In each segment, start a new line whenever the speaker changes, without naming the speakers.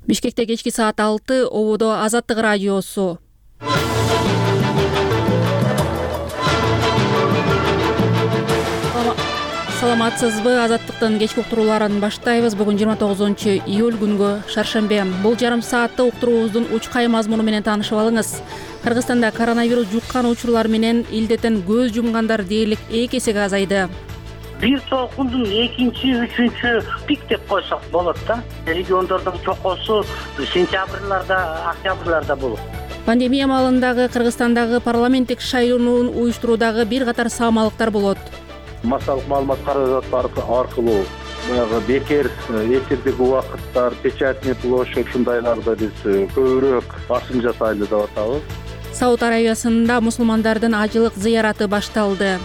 Бишкекте кечки саат 6 ободо Азаттык радиосу. Саламатсызбы? Азаттыктын кечки уктурууларын баштайбыз. Бүгүн 29-июль күнгө шаршембе. Бул жарым саатта уктуруубуздун учкай мазмуну менен таанышып алыңыз. Кыргызстанда коронавирус жуккан учурлар менен илдеттен көз жумгандар дээрлик 2 эсеге азайды.
Бир толкундун экинчи, үчүнчү пик деп койсок болот да. Региондордун чокосу сентябрларда, октябрларда болот.
Пандемия маалындагы Кыргызстандагы парламенттик шайлоону уюштуруудагы бир катар саамалыктар болот.
Массалык маалымат каражаты аркылуу баягы бекер эфирдеги убакыттар, печатный площадь ушундайларда биз көбүрөөк басым жасайлы деп атабыз.
Сауд Арабиясында мусулмандардын ажылык зыяраты башталды.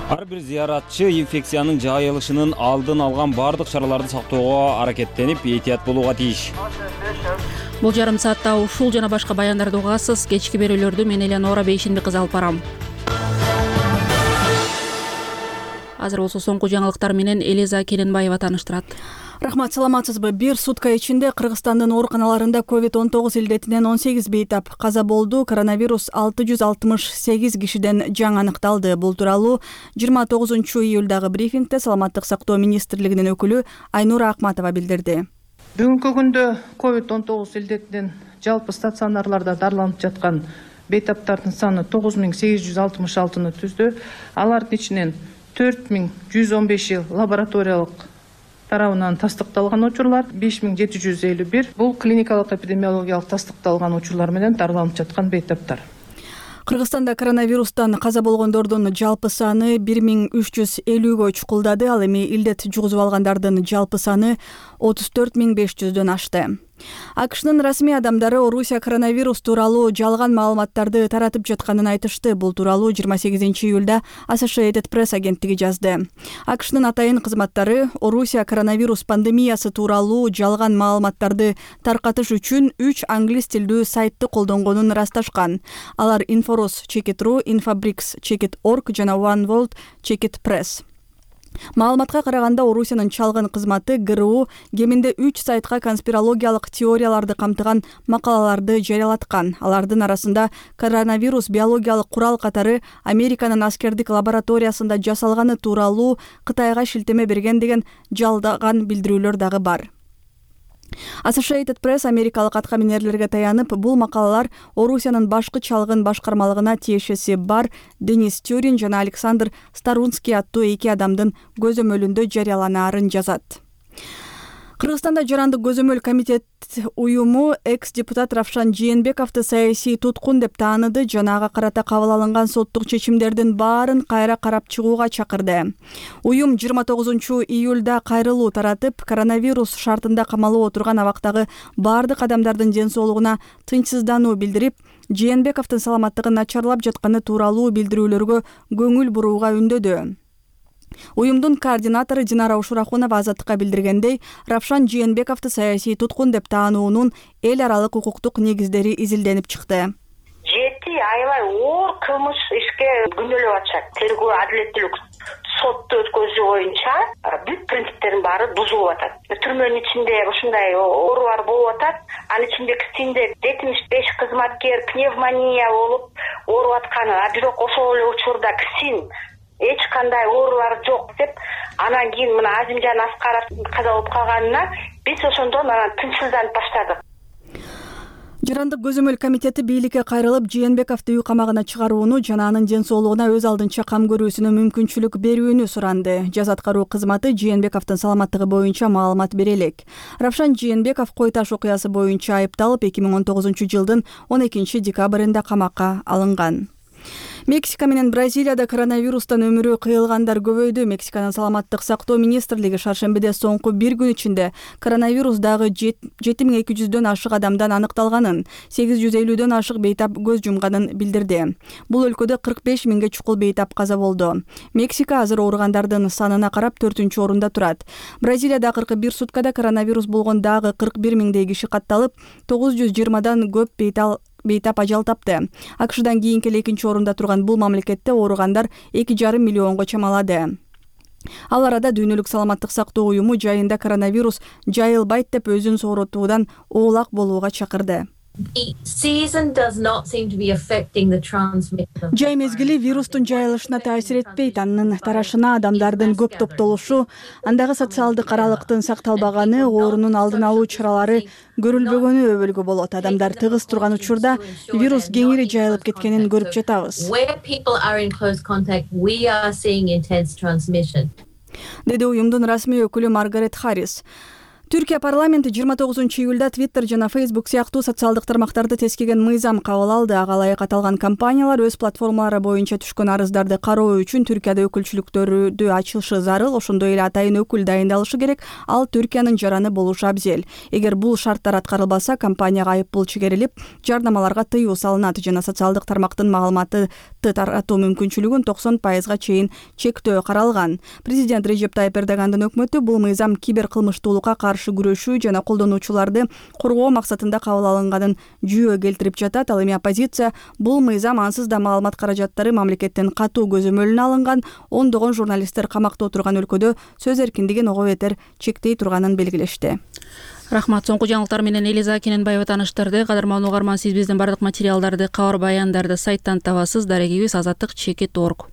Ар бир зыяратчы инфекциянын жайылышынын алдын алган бардык чараларды сактоого аракеттенип, этият болууга тийиш.
Бул жарым саатта ушул жана башка баяндарды угасыз. Кечки берүүлөрдү мен Элеонора Бейшинби кызы алып барам. Азыр болсо соңку жаңылыктар менен Элиза Келенбаева тааныштырат.
Рахмат, саламатсызбы? Бир сутка ичинде Кыргызстандын ооруканаларында COVID-19 илдетинен 18 бейтап каза болду. Коронавирус 668 кишиден жаңы аныкталды. Бул тууралуу 29-июлдагы брифингде Саламаттык сактоо министрлигинин өкүлү Айнура Акматова билдирди.
Бүгүнкү күндө COVID-19 илдетинен жалпы стационарларда дарыланып жаткан бейтаптардын саны 9866-ны түздү. Алардын ичинен 4115 лабораториялык тарабынан тастыкталган учурлар, 5751 бул клиникалык эпидемиологиялык тастыкталган учурлар менен дарыланып жаткан бейтаптар.
Кыргызстанда коронавирустан каза болгондордун жалпы саны 1350гө чукулдады. Ал эми илдет жугузуп алгандардын жалпы саны 34500дөн ашты. АКШнын расмий адамдары Орусия коронавирус тууралуу жалган маалыматтарды таратып жатканын айтышты. Бул тууралуу 28-июлда Associated Press агенттиги жазды. АКШнын атайын кызматтары Орусия коронавирус пандемиясы тууралуу жалган маалыматтарды таркатыш үчүн 3 англис тилдүү сайтты колдонгонун ырасташкан. Алар Inforus Check.ru, Infabrix Check.org жана One World Check.press. Маалыматка караганда Орусиянын чалгын кызматы ГРУ кеминде 3 сайтка конспирологиялык теорияларды камтыган макалаларды жарыялаткан. Алардын арасында коронавирус биологиялык курал катары Американын аскердик лабораториясында жасалганы тууралуу Кытайга шилтеме берген деген жалдаган билдирүүлөр дагы бар. Associated Press америкалык аткаминерлерге таянып, бул макалалар Орусиянын башкы чалгын башкармалыгына тиешеси бар Денис Тюрин жана Александр Старунский аттуу 2 адамдын көзөмөлүндө жарыяланаарын жазат. Кыргызстанда жарандык көзөмөл комитет уюму экс-депутат Равшан Жээнбековду саясий туткун деп тааныды жана ага карата кабыл алынган соттук чечимдердин баарын кайра карап чыгууга чакырды. Уюм 29-июлда кайрылуу таратып, коронавирус шартында камалып отурган абактагы бардык адамдардын ден соолугуна тынчсыздануу билдирип, Жээнбековдун саламаттыгы начарлап жатканы тууралуу билдирүүлөргө көңүл бурууга үндөдү. Уюмдун координатору Динара Ушурахунова Азаттыкка билдиргендей, Равшан Жээнбековду саясий туткун деп таануунун эл аралык укуктук негиздери изилденип чыкты.
7 айлай оор кылмыш ишке күнөөлөп атышат. Тергөө адилеттүүлүк сотто өткөзүү боюнча бүт принциптердин баары бузулуп атат. Түрмөнүн ичинде ушундай оорулар болуп атат. Анын ичинде 75 кызматкер пневмония болуп ооруп атканы, бирок ошол эле учурда ксин эч кандай оорулар жок деп, анан кийин мына Азимжан Аскаров каза болуп калганына биз ошондон анан тынчсызданып баштадык.
Жарандык көзөмөл комитети бийликке кайрылып, Жээнбековду үй камагына чыгарууну жана анын ден соолугуна өз алдынча кам көрүүсүнө мүмкүнчүлүк берүүнү суранды. Жаз аткаруу кызматы Жээнбековдун саламаттыгы боюнча маалымат бере элек. Равшан Жээнбеков кой таш окуясы боюнча айыпталып, 2019-жылдын 12 декабрында камакка алынган. Мексика менен Бразилияда коронавирустан өмүрү кыйылгандар көбөйдү. Мексиканын саламаттык сактоо министрлиги шаршембиде соңку бир күн ичинде коронавирус дагы 7200дөн ашык адамдан аныкталганын, 850дөн ашык бейтап көз жумганын билдирди. Бул өлкөдө 45 миңге чукул бейтап каза болду. Мексика азыр ооругандардын санына карап 4-орунда турат. Бразилияда 41 суткада коронавирус болгон дагы 41 миңдей киши катталып, 920дан көп бейтап ажал тапты. АКШдан кийинки 2-орунда турган бул мамлекетте ооругандар 2,5 миллионго чамалады. Ал арада Дүйнөлүк саламаттык сактоо уюму жайында коронавирус жайылбайт деп өзүн сооротуудан оолак болууга чакырды. Жай мезгили вирустун жайылышына таасир этпейт, анын тарашына адамдардын көп топтолушу, андагы социалдык аралыктын сакталбаганы, оорунун алдын алуу чаралары көрүлбөгөнү өбөлгө болот. Адамдар тыгыз турган учурда вирус кеңири жайылып кеткенин көрүп жатабыз, деди уюмдун расмий өкүлү Маргарет Харрис. Түркия парламенти 29-июлда Twitter жана Facebook сыяктуу социалдык тармактарды тескеген мыйзам кабыл алды. Ага ылайык аталган компаниялар өз платформалары боюнча түшкөн арыздарды кароо үчүн Түркияда өкүлчүлүктөрдү ачышы зарыл, ошондой эле атайын өкүл дайындалышы керек. Ал Түркиянын жараны болушу абзел. Эгер бул шарттар аткарылбаса, компанияга айыппул чыгарылып, жарнамаларга тыюу салынат жана социалдык тармактын маалыматы таратуу мүмкүнчүлүгүн 90%га чейин чектөө каралган. Президент Режеп Тайып Эрдогандын өкмөтү бул мыйзам киберкылмыштуулукка каршы күрөшүү жана колдонуучуларды коргоо максатында кабыл алынганын жүйө келтирип жатат. Ал эми оппозиция бул мыйзам ансыз да маалымат каражаттары мамлекеттен катуу көзөмөлүнө алынган, ондогон журналисттер камакта отурган өлкөдө сөз эркиндигин ого бетер чектей турганын белгилешти.
Рахмат. Соңку жаңылыктар менен Элиза Кененбаева тааныштырды. Кадырман угарман, сиз биздин бардык материалдарды, кабар баяндарды сайттан табасыз. Дарегибиз azatlyk.org.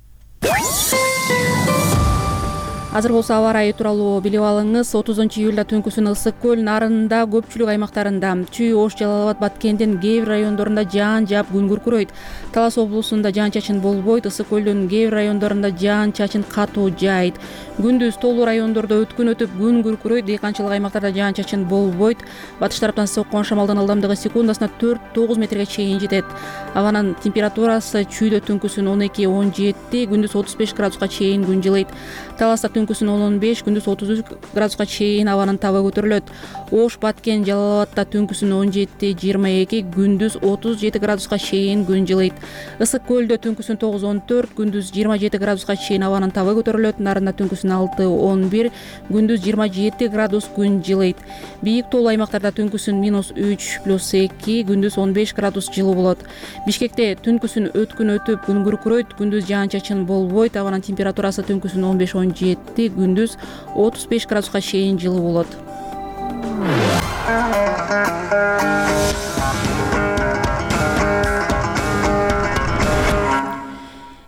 Азыр болсо аба ырайы тууралуу билип алыңыз. 30-июлда түнкүсүн Ысык көл, Нарында көпчүлүк аймактарында, Чүй, Ош, Жалал Абад, Баткендин кээ бир райондорунда жаан жаап күн күркүрөйт. Талас облусунда жаан-чачын болбойт. Ысык көлдүн кээ бир райондорунда жаан-чачын катуу жаайт. Күндүз тоолуу райондордо өткүн өтүп күн күркүрөйт. Дыйканчылык аймактарда жаан-чачын болбойт. Батыш тараптан соккон шамалдын ылдамдыгы секундасына 4-9 метрге чейин жетет. Абанын температурасы Чүйдө түнкүсүн 12-17, күндүз 35 градуска чейин күн жылыйт. Таласта түнкүсүн 15, күндүз 33 градуска чейин абанын табы көтөрүлөт. Ош, Баткен, Жалал Абадта түнкүсүн 17-22, күндүз 37 градуска чейин күн жылыйт. Ысык көлдө түнкүсүн 9-14, күндүз 27 градуска чейин абанын табы көтөрүлөт. Нарында түнкүсүн 6-11, күндүз 27 градус күн жылыйт. Бийик тоолуу аймактарда түнкүсүн -3+2, күндүз 15 градус жылуу болот. Бишкекте түнкүсүн өткүн өтүп күн күркүрөйт, күндүз жаан-чачын болбойт. Абанын температурасы түнкүсүн 15-17, күндүз 35 градуска чейин жылуу болот.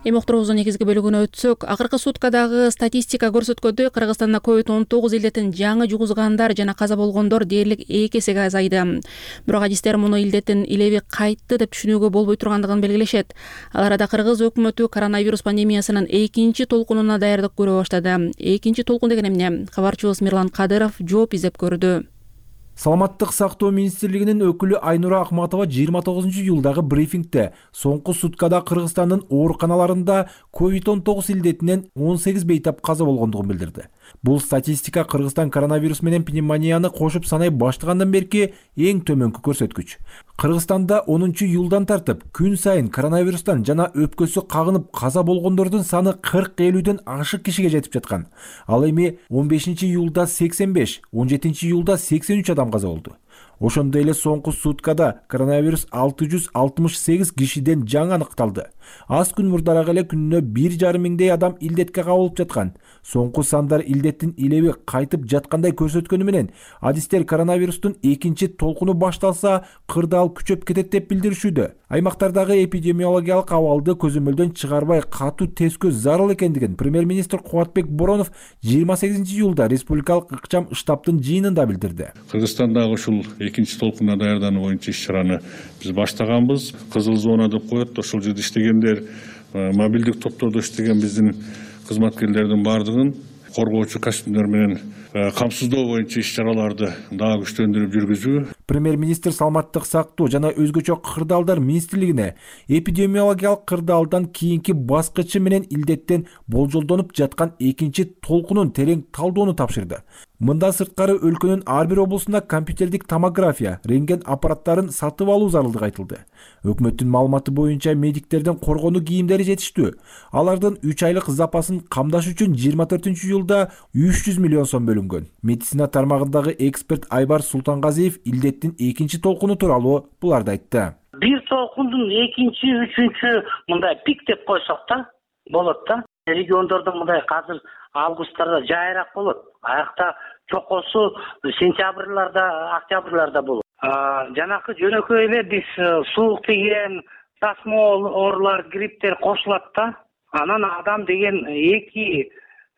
Эми уктуруубуздун негизги бөлүгүнө өтсөк, акыркы суткадагы статистика көрсөткөндөй, Кыргызстанда COVID-19 илдетин жаңы жугузгандар жана каза болгондор дээрлик 2 эсеге азайды. Бирок адистер муну илдеттин илеби кайтты деп түшүнүүгө болбой тургандыгын белгилешет. Ал арада Кыргыз өкмөтү коронавирус пандемиясынын экинчи толкунуна даярдык көрө баштады. Экинчи толкун деген эмне? Кабарчыбыз Мирлан Кадыров жооп издеп көрдү.
Саламаттык сактоо министрлигинин өкүлү Айнура Акматова 29-июлдагы брифингде соңку суткада Кыргызстандын ооруканаларында COVID-19 илдетинен 18 бейтап каза болгондугун билдирди. Бул статистика Кыргызстан коронавирус менен пневмонияны кошуп санай баштагандан берки эң төмөнкү көрсөткүч. Кыргызстанда 10-июлдан тартып күн сайын коронавирустан жана өпкөсү кагынып каза болгондордун саны 40-50ден ашык кишиге жетип жаткан. Ал эми 15-июлда 85, 17-июлда 83 адам каза болду. Ошондой эле соңку суткада коронавирус 668 кишиден жаңы аныкталды. Аз күн мурдараак эле күнүнө 1,5 миңдей адам илдетке кабылып жаткан. Соңку сандар илдеттин илеби кайтып жаткандай көрсөткөнү менен адистер коронавирустун экинчи толкуну башталса кырдаал күчөп кетет деп билдиришүүдө. Аймактардагы эпидемиологиялык абалды көзөмөлдөн чыгарбай катуу тескөө зарыл экендигин премьер-министр Кубатбек Боронов 28-июлда республикалык ыкчам штабтын жыйынында билдирди.
Кыргызстандагы ушул экинчи толкунга даярдануу боюнча иш-чараны биз баштаганбыз. Кызыл зона деп коет, ошол жерде иштегендер, мобилдик топтордо иштеген биздин кызматкерлердин бардыгын коргоочу костюмдер менен камсыздоо боюнча иш-чараларды дагы күчтөндүрүп жүргүзүү.
Премьер-министр саламаттык сактоо жана өзгөчө кырдаалдар министрлигине эпидемиологиялык кырдаалдан кийинки баскычы менен илдеттен болжолдонуп жаткан экинчи толкунун терең талдоону тапшырды. Мындан сырткары өлкөнүн ар бир облусунда компьютердик томография, рентген аппараттарын сатып алуу зарылдыгы айтылды. Өкмөттүн маалыматы боюнча медиктердин коргонуу кийимдери жетиштүү. Алардын 3 айлык запасын камдаш үчүн 24-июлда 300 миллион сом бөлүнгөн. Медицина тармагындагы эксперт Айбар Султангазиев илдеттин экинчи толкуну тууралуу буларды айтты.
Бир толкундун экинчи, үчүнчү мындай пик деп койсок да болот да. Региондордо мындай азыр августтарда жайыраак болот. Аякта чокосу сентябрларда, октябрларда болот. Жанакы жөнөкөй эле биз суук тиген, тасмол, оорулар, грипптер кошулат да. Анан адам деген эки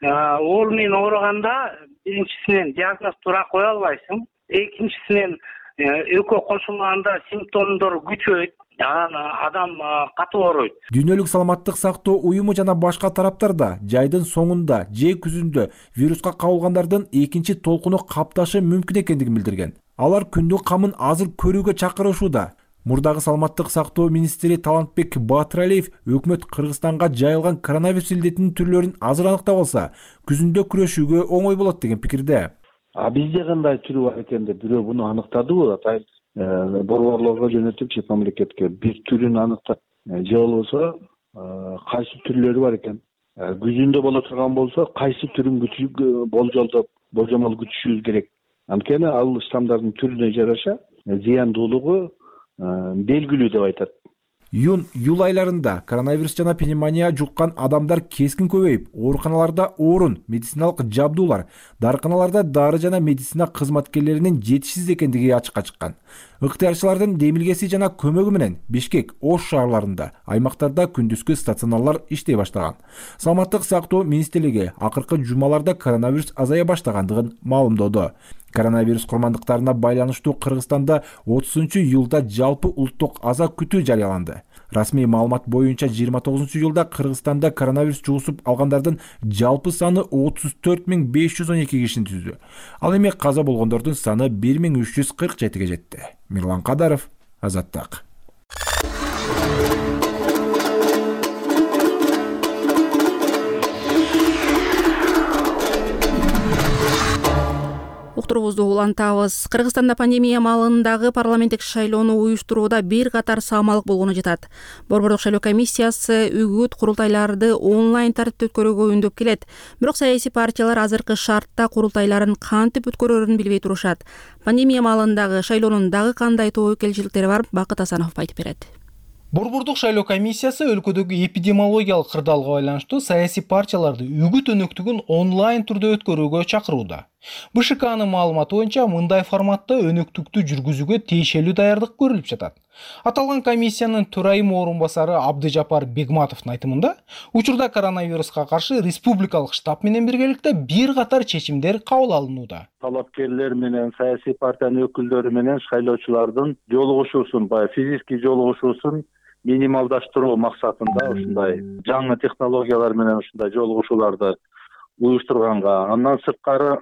оору менен ооруганда биринчисинен диагноз туура кое албайсың. Экинчисинен экөө кошулганда симптомдор күчөйт. Анан адам катуу ооруйт.
Дүйнөлүк саламаттык сактоо уюму жана башка тараптар да жайдын соңунда же күзүндө вируска кабылгандардын экинчи толкуну капташы мүмкүн экендигин билдирген. Алар күндүн камын азыр көрүүгө чакырышууда. Мурдагы саламаттык сактоо министри Талантбек Батыралиев өкмөт Кыргызстанга жайылган коронавирус илдетинин түрлөрүн азыр аныктап алса, күзүндө күрөшүүгө оңой болот деген пикирде.
Бизде кандай түрү бар экен деп бирөө буну аныктадыбы? Атайын борборлорго жөнөтүп, чет мамлекетке бир түрүн аныктап, же болбосо кайсы түрлөрү бар экен. Күзүндө боло турган болсо, кайсы түрүн болжомол күтүшүбүз керек. Анткени ал штамдардын түрүнө жараша зыяндуулугу белгилүү деп айтат.
Июнь-июль айларында коронавирус жана пневмония жуккан адамдар кескин көбөйүп, ооруканаларда орун, медициналык жабдуулар, дарыканаларда дары жана медицина кызматкерлеринин жетишсиз экендиги ачыкка чыккан. Ыктыярчылардын демилгеси жана көмөгү менен Бишкек, Ош шаарларында, аймактарда күндүзгү стационарлар иштей баштаган. Саламаттык сактоо министрлиги акыркы жумаларда коронавирус азая баштагандыгын маалымдоду. Коронавирус курмандыктарына байланыштуу Кыргызстанда 30-июлда жалпы улуттук аза күтүү жарыяланды. Расмий маалымат боюнча 29-июлда Кыргызстанда коронавирус жугусуп алгандардын жалпы саны 34.512 кишини түздү. Ал эми каза болгондордун саны 1347-ге жетти. Мирлан Кадаров, Азаттык.
Уктуруубузду улантабыз. Кыргызстанда пандемия маалындагы парламенттик шайлоону уюштурууда бир катар саамалык болгону жатат. Борбордук шайлоо комиссиясы үгүт курултайларды онлайн тартипте өткөрүүгө үндөп келет. Бирок саясий партиялар азыркы шартта курултайларын кантип өткөрөрүн билбей турушат. Пандемия маалындагы шайлоонун дагы кандай тобокелчиликтери бар, Бакыт Асанов айтып берет.
Борбордук шайлоо комиссиясы өлкөдөгү эпидемиологиялык кырдаалга байланыштуу саясий партияларды үгүт өнөктүгүн онлайн түрдө өткөрүүгө чакырууда. БШКнын маалыматы боюнча мындай форматта өнөктүктү жүргүзүүгө тиешелүү даярдык көрүлүп жатат. Аталган комиссиянын төрайым орун басары Абдыжапар Бегматовдун айтымында, учурда коронавируска каршы республикалык штаб менен биргеликте бир катар чечимдер кабыл алынууда.
Талапкерлер менен саясий партиянын өкүлдөрү менен шайлоочулардын жолугушуусун, физический жолугушуусун минималдаштыруу максатында ушундай жаңы технологиялар менен ушундай жолугушууларды уюштурганга, андан сырткары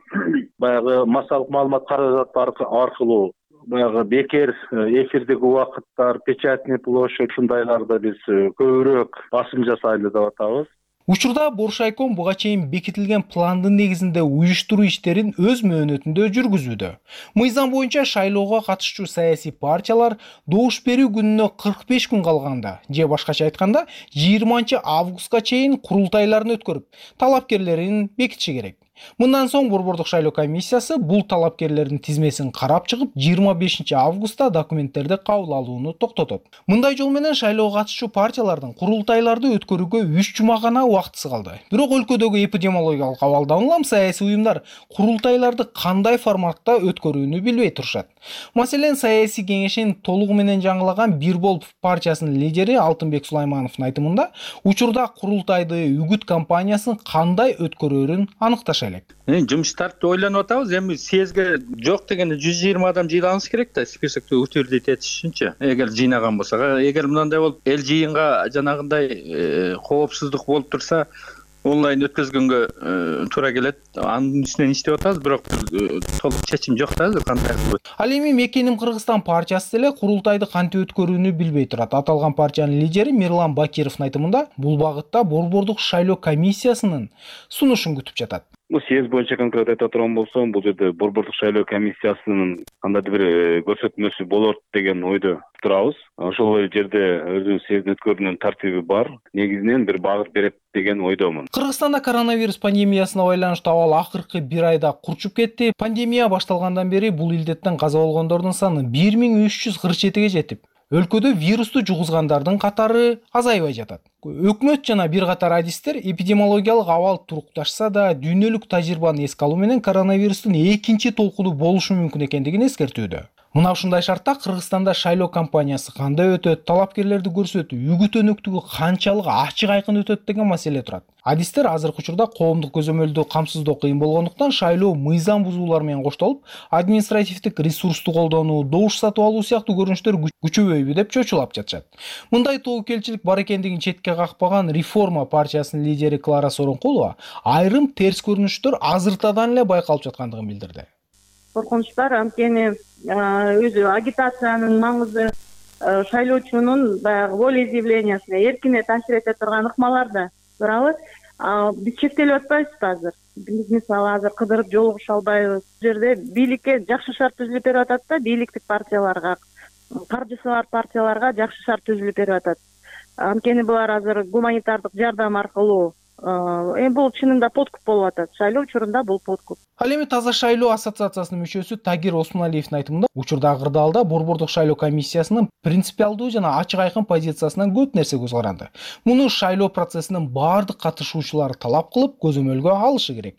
баягы массалык маалымат каражаты аркылуу баягы бекер эфирдеги убакыттар, печатный площадь ушундайларды биз көбүрөөк басым жасайлы деп атабыз.
Учурда Боршайком буга чейин бекитилген пландын негизинде уюштуруу иштерин өз мөөнөтүндө жүргүзүүдө. Мыйзам боюнча шайлоого катышчу саясий партиялар добуш берүү күнүнө 45 күн калганда, же башкача айтканда 20 августка чейин курултайларын өткөрүп, талапкерлерин бекитиши керек. Мындан соң Борбордук шайлоо комиссиясы бул талапкерлердин тизмесин карап чыгып, 25 августта документтерди кабыл алууну токтотот. Мындай жол менен шайлоого катышчу партиялардын курултайларды өткөрүүгө 3 жума гана убактысы калды. Бирок өлкөдөгү эпидемиологиялык абалдан улам саясий уюмдар курултайларды кандай форматта өткөрүүнү билбей турушат. Маселен, саясий кеңешин толугу менен жаңылаган Бир Бол партиясынын лидери Алтынбек Сулаймановдун айтымында, учурда курултайды үгүт кампаниясын кандай өткөрөрүн аныкташат.
Жумуштарды ойлонуп атабыз. Эми съезге жок дегенде 120 адам жыйнабыз керек да, списокты утвердить этиш үчүнчү. Эгер жыйнаган болсок, эгер мындай болуп эл жыйынга жанагындай коопсуздук болуп турса, онлайн өткөзгөнгө туура келет. Анын үстүнөн иштеп атабыз, бирок толук чечим жок да азыр кандай кылып.
Ал эми Мекеним Кыргызстан партиясы деле курултайды кантип өткөрүүнү билбей турат. Аталган партиянын лидери Мирлан Бакировдун айтымында, бул багытта Борбордук шайлоо комиссиясынын сунушун күтүп жатат.
Съезд боюнча конкрет айта турган болсом, бул жерде Борбордук шайлоо комиссиясынын кандайдыр бир көрсөтмөсү болот деген ойдо турабыз. Ошол жерде өзүнүн съездин өткөрүүнүн тартиби бар. Негизинен бир багыт берет деген ойдомун.
Кыргызстанда коронавирус пандемиясына байланыштуу абал акыркы бир айда курчуп кетти. Пандемия башталгандан бери бул илдеттен каза болгондордун саны 1347-ге жетип, өлкөдө вирусту жугузгандардын катары азайбай жатат. Өкмөт жана бир катар адистер эпидемиологиялык абал турукташса да дүйнөлүк тажрыйбаны эске алуу менен коронавирустун экинчи толкуну болушу мүмкүн экендигин эскертүүдө. Мына ушундай шартта Кыргызстанда шайлоо кампаниясы кандай өтөт, талапкерлерди көрсөтүү, үгүт өнөктүгү канчалык ачык айкын өтөт деген маселе турат. Адистер азыркы учурда коомдук көзөмөлдү камсыздоо кыйын болгондуктан шайлоо мыйзам бузуулар менен коштолуп, административдик ресурсту колдонуу, добуш сатып алуу сыяктуу көрүнүштөр күчөбөйбү деп чочулап жатышат. Мындай тобокелчилик бар экендигин четке какпаган Реформа партиясынын лидери Клара Сооронкулова айрым терс көрүнүштөр азыртадан эле байкалып жаткандыгын билдирди.
Коркунуч бар, анткени өзү агитациянын маңызы шайлоочунун баягы волеизъявлениясына эркине таасир эте турган ыкмаларды туурабы. Биз чектелип атпайбызбы азыр? Биз мисалы азыр кыдырып жолугуша албайбыз. Бул жерде бийликке жакшы шарт түзүлүп берип атат да, бийликтик партияларга, каржысы бар партияларга жакшы шарт түзүлүп берип атат. Анткени булар азыр гуманитардык жардам аркылуу бул чынында подкуп болуп атат. Шайлоо учурунда бул подкуп.
Ал эми Таза шайлоо ассоциациясынын мүчөсү Тагир Осмоналиевдин айтымында, учурдагы кырдаалда Борбордук шайлоо комиссиясынын принципиалдуу жана ачык айкын позициясынан көп нерсе көз каранды. Муну шайлоо процессинин баардык катышуучулары талап кылып, көзөмөлгө алышы керек.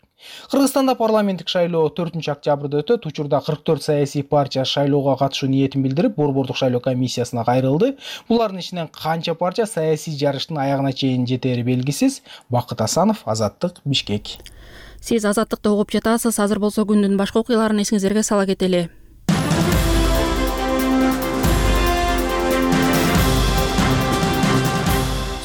Кыргызстанда парламенттик шайлоо 4-октябрда өтөт. Учурда 44 саясий партия шайлоого катышуу ниетин билдирип, Борбордук шайлоо комиссиясына кайрылды. Булардын ичинен канча партия саясий жарыштын аягына чейин жетери белгисиз. Бакыт Асанов, Азаттык, Бишкек.
Сиз Азаттыкты угуп жатасыз. Азыр болсо күндүн башка окуяларын эсиңиздерге сала кетели.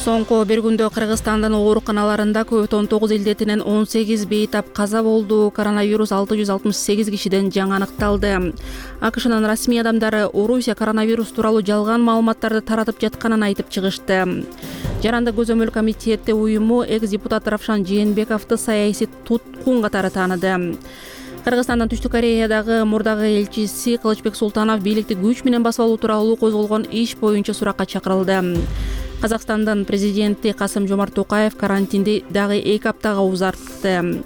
Соңку бир күндө Кыргызстандын ооруканаларында COVID-19 илдетинен 18 бейтап каза болду. Коронавирус 668 кишиден жаңы аныкталды. АКШнын расмий адамдары Орусия коронавирус тууралуу жалган маалыматтарды таратып жатканын айтып чыгышты. Жарандык көзөмөл комитети уюму экс-депутат Равшан Жээнбековду саясий туткун катары тааныды. Кыргызстандын Түштүк Кореядагы мурдагы элчиси Кылычбек Султанов бийликти күч менен басып алуу тууралуу козголгон иш боюнча суракка чакырылды. Казакстандын президенти Касым-Жомарт Токаев карантинди дагы 2 аптага узартты.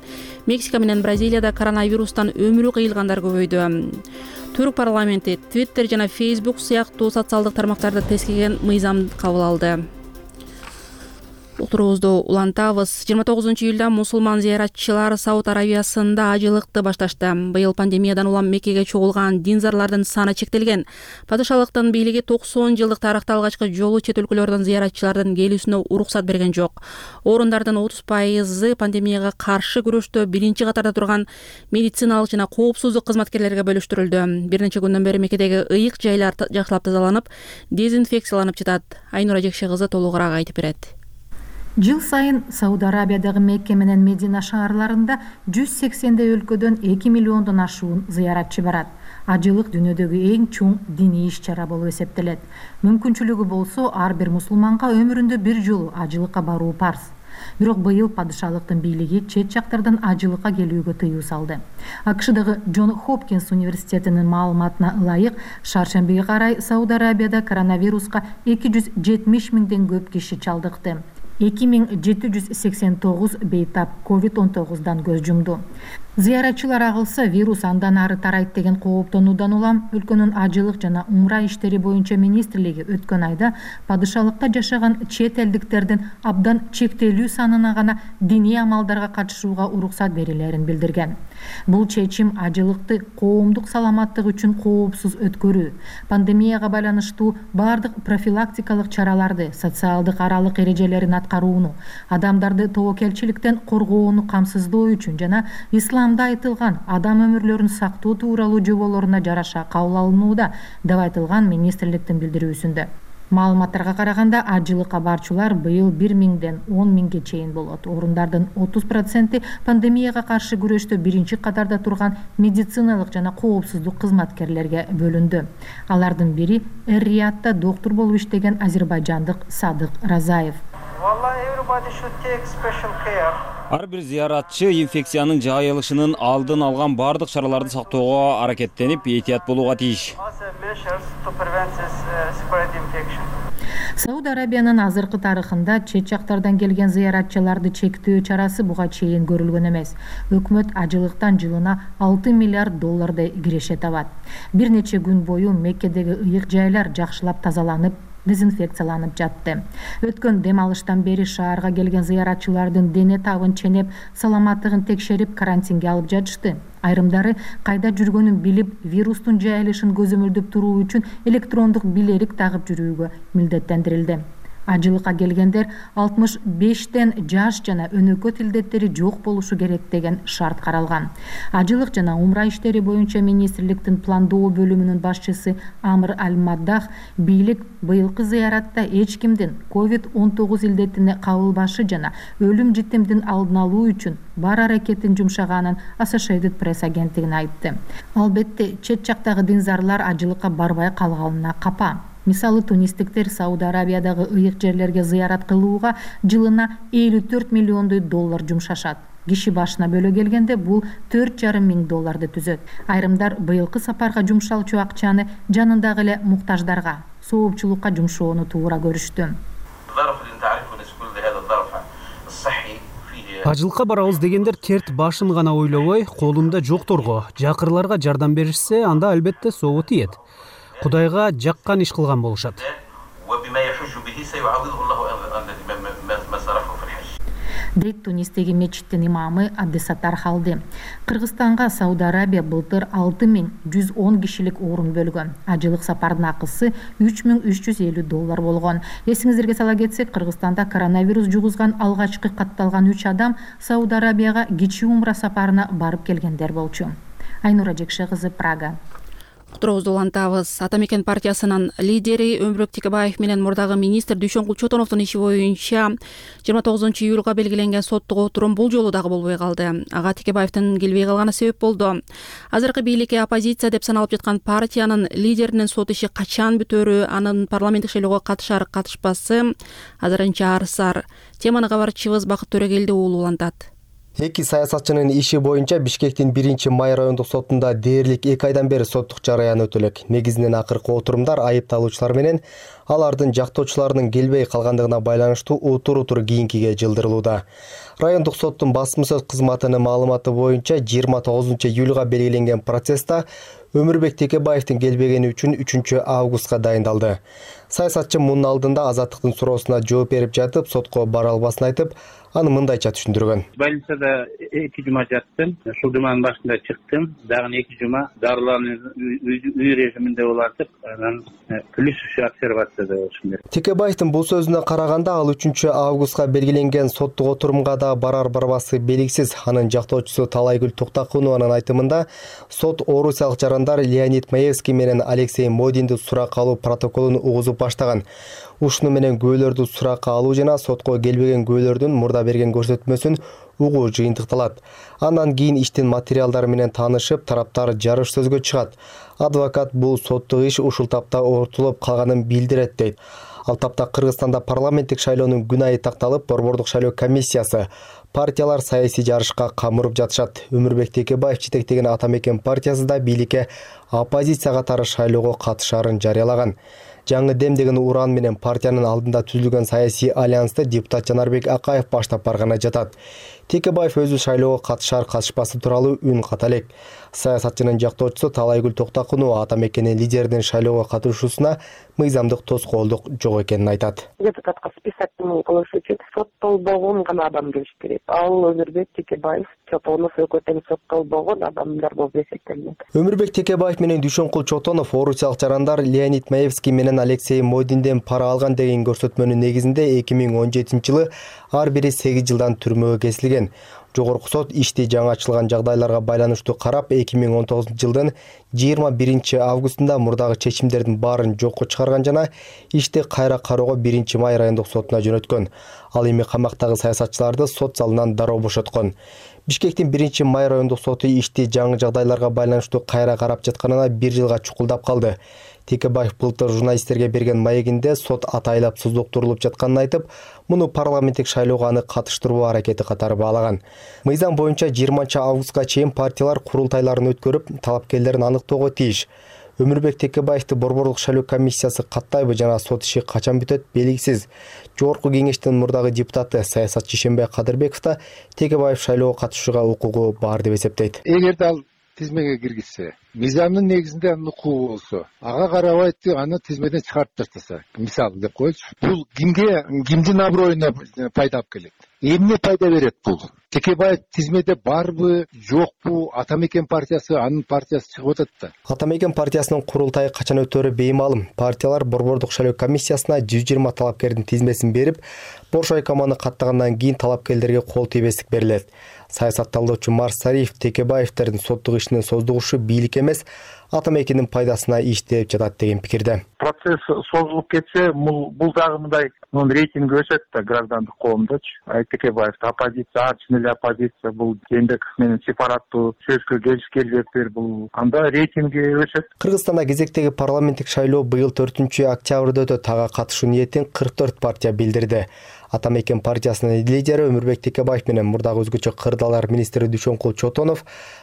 Мексика менен Бразилияда коронавирустан өмүрү кыйылгандар көбөйдү. Түрк парламенти Twitter жана Facebook сыяктуу социалдык тармактарды тескеген мыйзам кабыл алды. Утурубузду улантабыз. 29 июлда мусулман зыяратчылар Сауд Аравиясында ажылыкты башташты. Быйыл пандемиядан улам Меккеге чогулган динзарлардын саны чектелген. Падышалыктын бийлиги 90 жылдык тарыхта алгачкы жолу чет өлкөлөрдөн зыяратчылардын келүүсүнө уруксат берген жок. Орундардын 30% пандемияга каршы күрөштө биринчи катарда турган медициналык жана коопсуздук кызматкерлерге бөлүштүрүлдү. Бир нече күндөн бери Меккедеги ыйык жайлар жакшылап тазаланып, дезинфекцияланып жатат. Айнура Жекше кызы толугураак айтып берет.
Жыл сайын Сауд Арабиядагы Мекке менен Медина шаарларында 180 өлкөдөн 2 миллиондон ашуун зыяратчы барат. Ажылык дүйнөдөгү эң чоң диний иш-чара болуп эсептелет. Мүмкүнчүлүгү болсо, ар бир мусулманга өмүрүндө бир жолу ажылыкка баруу парз. Бирок быйыл падышалыктын бийлиги чет жактардан ажылыкка келүүгө тыюу салды. АКШдагы Джон Хопкинс университетинин маалыматына ылайык, шаршембиге карай Сауд Арабияда коронавируска 270 миңден көп киши чалдыкты. 2789 бейтап COVID-19дан көз жумду. Зыяратчылар агылса, вирус андан ары тарайт деген кооптонуудан улам өлкөнүн ажылык жана умра иштери боюнча министрлиги өткөн айда падышалыкта жашаган чет элдиктердин абдан чектелүү санына гана диний амалдарга катышууга уруксат берилерин билдирген. Бул чечим ажылыкты коомдук саламаттык үчүн коопсуз өткөрүү, пандемияга байланыштуу бардык профилактикалык чараларды, социалдык аралык эрежелерин аткарууну, адамдарды тобокелчиликтен коргоону камсыздоо үчүн жана исламда айтылган адам өмүрлөрүн сактоо тууралуу жоболоруна жараша кабыл алынууда деп айтылган министрликтин билдирүүсүндө. Маалыматтарга караганда, ажылыкка барчулар быйыл 1 миңден 10 миңге чейин болот. Орундардын 30% пандемияга каршы күрөштө биринчи катарда турган медициналык жана коопсуздук кызматкерлерге бөлүндү. Алардын бири Эр-Риядда доктор болуп иштеген азербайжандык Садык Разаев.
Ар бир зыяратчы инфекциянын жайылышынын алдын алган бардык чараларды сактоого аракеттенип, этият болууга тийиш.
Сауд Арабиянын азыркы тарыхында чет жактардан келген зыяратчыларды чектөө чарасы буга чейин көрүлгөн эмес. Өкмөт ажылыктан жылына 6 миллиард доллардай киреше табат. Бир нече күн бою Меккедеги ыйык жайлар жакшылап тазаланып, дезинфекцияланып жатты. Өткөн дем алыштан бери шаарга келген зыяратчылардын дене табын ченеп, саламаттыгын текшерип, карантинге алып жатышты. Айрымдары кайда жүргөнүн билип, вирустун жайылышын көзөмөлдөп туруу үчүн электрондук билерик тагып жүрүүгө милдеттендирилди. Ажылыкка келгендер 65тен жаш жана өнөкөт илдеттери жок болушу керек деген шарт каралган. Ажылык жана умра иштери боюнча министрликтин пландоо бөлүмүнүн башчысы Амр Аль-Маддах бийлик быйылкы зыяратта эч кимдин COVID-19 илдетине кабылбашы жана өлүм житимдин алдын алуу үчүн бар аракетин жумшаганын Associated Press агенттигине айтты. Албетте, чет жактагы динзарлар ажылыкка барбай калганына капа. Мисалы, тунистиктер Сауд Арабиядагы ыйык жерлерге зыярат кылууга жылына $54 миллион жумшашат. Киши башына бөлө келгенде бул $4,5 миң түзөт. Айрымдар быйылкы сапарга жумшалчу акчаны жанындагы эле муктаждарга, соопчулукка жумшоону туура көрүштү.
Ажылыкка барабыз дегендер терт башын гана ойлобой, колунда жокторго, жакырларга жардам беришсе, анда албетте сообу тиет. Кудайга жаккан иш кылган болушат.
Дейт Тунистеги мечиттин имамы Абдесаттар Халди. Кыргызстанга Сауд Арабия былтыр 6110 кишилик орун бөлгөн. Ажылык сапардын акысы $3350 болгон. Эсиңиздерге сала кетсек, Кыргызстанда коронавирус жугузган алгачкы катталган 3 адам Сауд Арабияга кичи умра сапарына барып келгендер болчу. Айнура Жекше кызы, Прага.
Уктуруубузду улантабыз. Ата мекен партиясынын лидери Өмүрбек Текебаев менен мурдагы министр Дүйшөнкул Чотоновдун иши боюнча 29-июлга белгиленген соттук отурум бул жолу дагы болбой калды. Ага Текебаевдин келбей калганы себеп болду. Азыркы бийликке оппозиция деп саналып жаткан партиянын лидеринин сот иши качан бүтөөрү, анын парламенттик шайлоого катышар катышпасы азырынча арсар. Теманы кабарчыбыз Бакыт Төрөгелди уулу улантат.
Эки саясатчынын иши боюнча Бишкектин 1-май райондук сотунда дээрлик 2 айдан бери соттук жараян өтөлөк. Негизинен акыркы отурумдар айыпталуучулар менен алардын жактоочуларынын келбей калгандыгына байланыштуу утур кийинкиге жылдырылууда. Райондук соттун басма сөз кызматынын маалыматы боюнча 29-июлга белгиленген процесста Өмүрбек Текебаевдин келбегени үчүн 3-августка дайындалды. Саясатчы мунун алдында азаттыктын суроосуна жооп берип жатып, сотко бара албасын айтып, аны мындайча түшүндүргөн.
Больницада 2 жума жаттым. Ушул жуманын башында чыктым. Дагы 2 жума дарыланып үй режиминде болатып, анан плюс обсервацияда болушум керек.
Текебаевдин бул сөзүнө караганда, ал 3-августка белгиленген соттук отурумга да барар-барбасы белгисиз. Анын жактоочусу Талайгүл Токтакунованын айтымында, сот орусиялык жарандар Леонид Маевский менен Алексей Модинди суракка алуу протоколун угузуп баштаган. Ушуну менен күбөлөрдү суракка алуу жана сотко келбеген күбөлөрдүн мурда берген көрсөтмөсүн угуу жыйынтыкталат. Андан кийин иштин материалдары менен таанышып, тараптар жарыш сөзгө чыгат. Адвокат бул соттук иш ушул тапта ортулуп калганын билдирет дейт. Ал тапта Кыргызстанда парламенттик шайлоонун күн айы такталып, борбордук шайлоо комиссиясы партиялар саясий жарышка камырып жатышат. Өмүрбек Текебаев жетектеген Ата мекен партиясы да бийликке оппозиция катары шайлоого катышаарын жарыялаган. Жаңы дем деген уран менен партиянын алдында түзүлгөн саясий альянсты депутат Жанарбек Акаев баштап барганы жатат. Текебаев өзү шайлоого катышар катышпасы тууралуу үн ката элек. Саясатчынын жактоочусу Талайгүл Токтакунова Ата мекенин лидеринин шайлоого катышуусуна мыйзамдык тоскоолдук жок экенин айтат.
Депутатка список кылыш үчүн соттолбогон гана адам келиш керек. Ал Өмүрбек Текебаев, Чотонов экөө соттолбогон адамдар болуп эсептелет.
Өмүрбек Текебаев менен Дүйшөнкул Чотонов орусиялык жарандар Леонид Маевский менен Алексей Модинден пара алган деген көрсөтмөнүн негизинде 2017-жылы ар бири 8 жылдан түрмөгө кесилген. Жогорку сот ишти жаңы ачылган жагдайларга байланыштуу карап 2019-жылдын 21-августунда мурдагы чечимдердин баарын жокко чыгарган жана ишти кайра кароого 1-май райондук сотуна жөнөткөн. Ал эми камактагы саясатчыларды сот залынан дароо бошоткон. Бишкектин 1-май райондук соту ишти жаңы жагдайларга байланыштуу кайра карап жатканына 1 жылга чукулдап калды. Текебаев былтыр журналисттерге берген маегинде сот атайлап суздуктурулуп жатканын айтып, муну парламенттик шайлоого аны катыштыруу аракети катары баалаган. Мыйзам боюнча 20-августка чейин партиялар курултайларын өткөрүп, талапкерлерин аныктоого тийиш. Өмүрбек Текебаевди борбордук шайлоо комиссиясы каттайбы жана сот иши качан бүтөт белгисиз. Жогорку кеңештин мурдагы депутаты саясатчы Ишенбай Кадырбеков да Текебаев шайлоого катышууга укугу бар деп эсептейт.
Эгерде ал тизмеге киргизсе, мыйзамдын негизинде анын укугу болсо, ага карабай аны тизмеден чыгарып таштаса, мисалы деп коелучу, бул кимдин аброюна пайда алып келет? Эмне пайда берет бул? Текебаев тизмеде барбы, жокпу? Ата Мекен партиясы, анын партиясы чыгып атат да.
Ата Мекен партиясынын курултайы качан өтөрү беймалым. Партиялар Борбордук шайлоо комиссиясына 120 талапкердин тизмесин берип, Бош айкоманы каттагандан кийин талапкерлерге кол тийбестик берилет. Саясатталуучу Марс Сариев Текебаевдердин соттук ишинин создугушу бийлик эмес, Ата Мекендин пайдасына иштеп жатат деген пикирде.
Процесс созулуп кетсе, бул дагы мындай рейтинги өсөт да граждандык коомдочу. Текебаев оппозиция, чын эле оппозиция, бул Жээнбеков менен сепараттуу сөзгө келишкелдиктер, бул анда рейтинги өсөт.
Кыргызстанда кезектеги парламенттик шайлоо быйыл 4-октябрда өтөт. Ага катышуу ниетин 44 партия билдирди. Ата Мекен партиясынын лидери Өмүрбек Текебаев менен мурдагы өзгөчө кырдаалар министри Дүйшөнкул Чотонов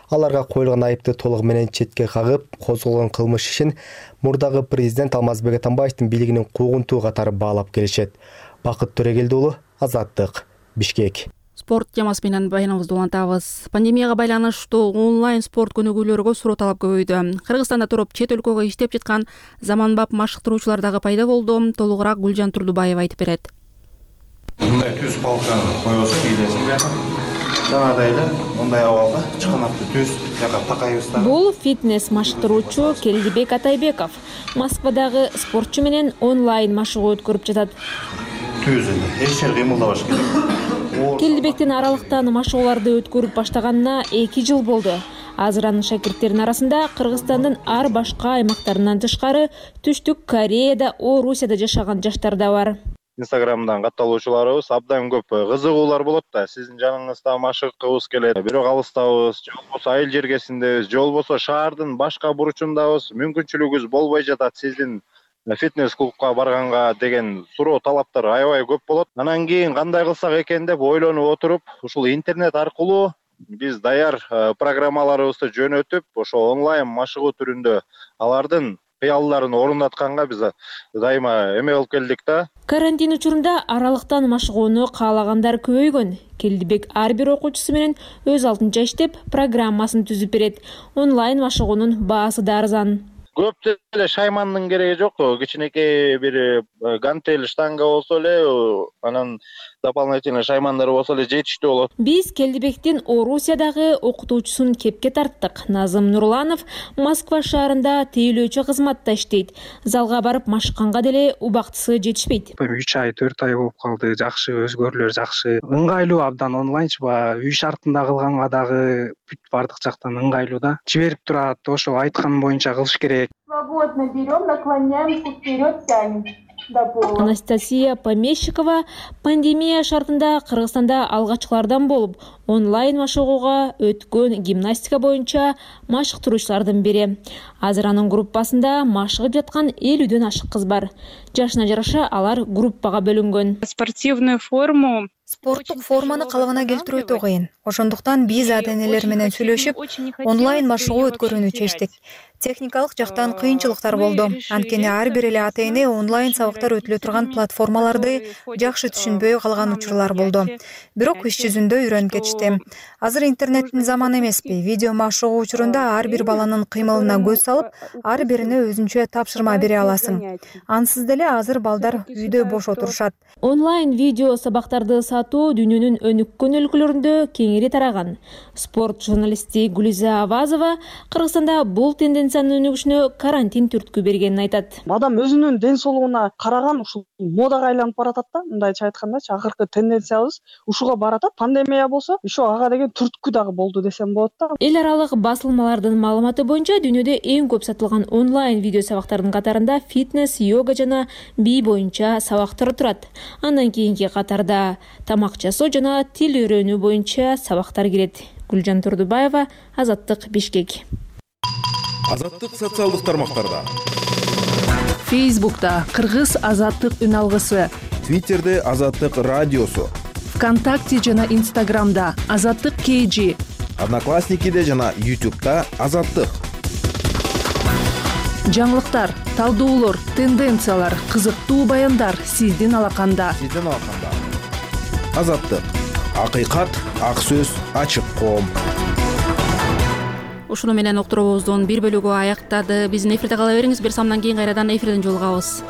аларга коюлган айыпты толугу менен четке кагып, козголгон кылмыш ишин мурдагы президент Алмазбек Атамбаевдин бийлигинин куугунтугу катары баалап келишет. Бакыт Төрегелди уулу, Азаттык, Бишкек.
Спорт темасы менен баяныбызды улантабыз. Пандемияга байланыштуу онлайн спорт көнүгүүлөргө суроо талап көбөйдү. Кыргызстанда туруп чет өлкөгө иштеп жаткан заманбап машыктыруучулар дагы пайда болду. Толугураак Гүлжан Турдубаева айтып берет.
Мындай түз палканы койбосо кийдесиң бияка. Жанагыдай эле мындай абалда чыканакты түз жака такайбызда.
Бул фитнес машыктыруучу Келдибек Атайбеков Москвадагы спортчу менен онлайн машыгуу өткөрүп жатат.
Түз эле, эч жер кыймылдабаш керек.
Келдибектин аралыктан машыгууларды өткөрүп баштаганына 2 жыл болду. Азыр анын шакирттеринин арасында Кыргызстандын ар башка аймактарынан тышкары Түштүк Кореяда, Орусияда жашаган жаштар да бар.
Инстаграмдан катталуучуларыбыз абдан көп кызыгуулар болот да. Сиздин жаныңызда машыгкыбыз келет. Бирок алыстабыз, же болбосо айыл жергесиндебиз, же болбосо шаардын башка бурчундабыз. Мүмкүнчүлүгүбүз болбой жатат сиздин фитнес клубка барганга деген суроо талаптар аябай көп болот. Анан кийин кандай кылсак экен деп ойлонуп отуруп, ушул интернет аркылуу биз даяр программаларыбызды жөнөтүп, ошо онлайн машыгуу түрүндө алардын кыялдарын орундатканга биз дайыма эме болуп келдик да.
Карантин учурунда аралыктан машыгууну каалагандар көбөйгөн. Келдибек ар бир окуучусу менен өз алдынча иштеп, программасын түзүп берет. Онлайн машыгуунун баасы да арзан.
Көп деле шаймандын кереги жок. Кичинекей бир гантель штанга болсо эле, анан дополнительный шаймандар болсо эле жетиштүү болот.
Биз Келдибектин Орусиядагы окутуучусун кепке тарттык. Назым Нурланов Москва шаарында тейлөөчү кызматта иштейт. Залга барып машыкканга деле убактысы жетишпейт.
3 ай, 4 ай болуп калды. Жакшы, өзгөрүүлөр жакшы. Ыңгайлуу абдан онлайнчы үй шартында кылганга дагы бүт бардык жактан ыңгайлуу да. Жиберип турат, ошо айткан боюнча кылыш керек.
Свободно берем, наклоняемся вперед, тянем.
Анастасия Помещикова пандемия шартында Кыргызстанда алгачкылардан болуп, онлайн машыгууга өткөн гимнастика боюнча машыктыруучулардын бири. Азыр анын группасында машыгып жаткан 50дөн ашык кыз бар. Жашына жараша алар группага бөлүнгөн.
Спортивную форму
Спорттук форманы калыбына келтирүү өтө кыйын. Ошондуктан биз ата-энелер менен сүйлөшүп, онлайн машыгуу өткөрүүнү чечтик. Техникалык жактан кыйынчылыктар болду. Анткени ар бир эле ата-эне онлайн сабактар өтүлө турган платформаларды жакшы түшүнбөй калган учурлар болду. Бирок иш жүзүндө үйрөнүп кетишти. Азыр интернеттин заманы эмеспи? Видео машыгуу учурунда ар бир баланын кыймылына көз салып, ар бирине өзүнчө тапшырма бере аласың. Ансыз деле азыр балдар үйдө бош отурушат.
Онлайн видео сабактарды сатуу дүйнөнүн өнүккөн өлкөлөрүндө кеңири тараган. Спорт журналисти Гүлиза Авазова Кыргызстанда бул тенденциянын өнүгүшүнө карантин түрткү бергенин айтат.
Адам өзүнүн ден соолугуна караган ушул модага айланып баратат да, мындайча айткандачы, акыркы тенденциябыз ушуга баратат. Пандемия болсо, ошо ага деген түрткү дагы болду десем болот да.
Эл аралык басылмалардын маалыматы боюнча дүйнөдө эң көп сатылган онлайн видео сабактардын катарында фитнес, йога жана бий боюнча сабактар турат. Андан кийинки катарда тамак жасоо жана тил үйрөнүү боюнча сабактар кирет. Гүлжан Турдубаева, Азаттык, Бишкек.
Азаттык социалдык тармактарда.
Фейсбукта Кыргыз Азаттык үн алгысы.
Твиттерде Азаттык радиосу.
ВКонтакте жана Инстаграмда Азаттык KG.
Одноклассникиде жана YouTube'да Азаттык.
Жаңылыктар, талдоолор, тенденциялар, кызыктуу баяндар сиздин алаканда.
Азаттык. Акыйкат, ак сөз, ачык коом.
ушуну менен уктуруубуздун бир бөлүгү аяктады. Биздин эфирде кала бериңиз. Бир самдан кийин кайрадан эфирден жолугабыз.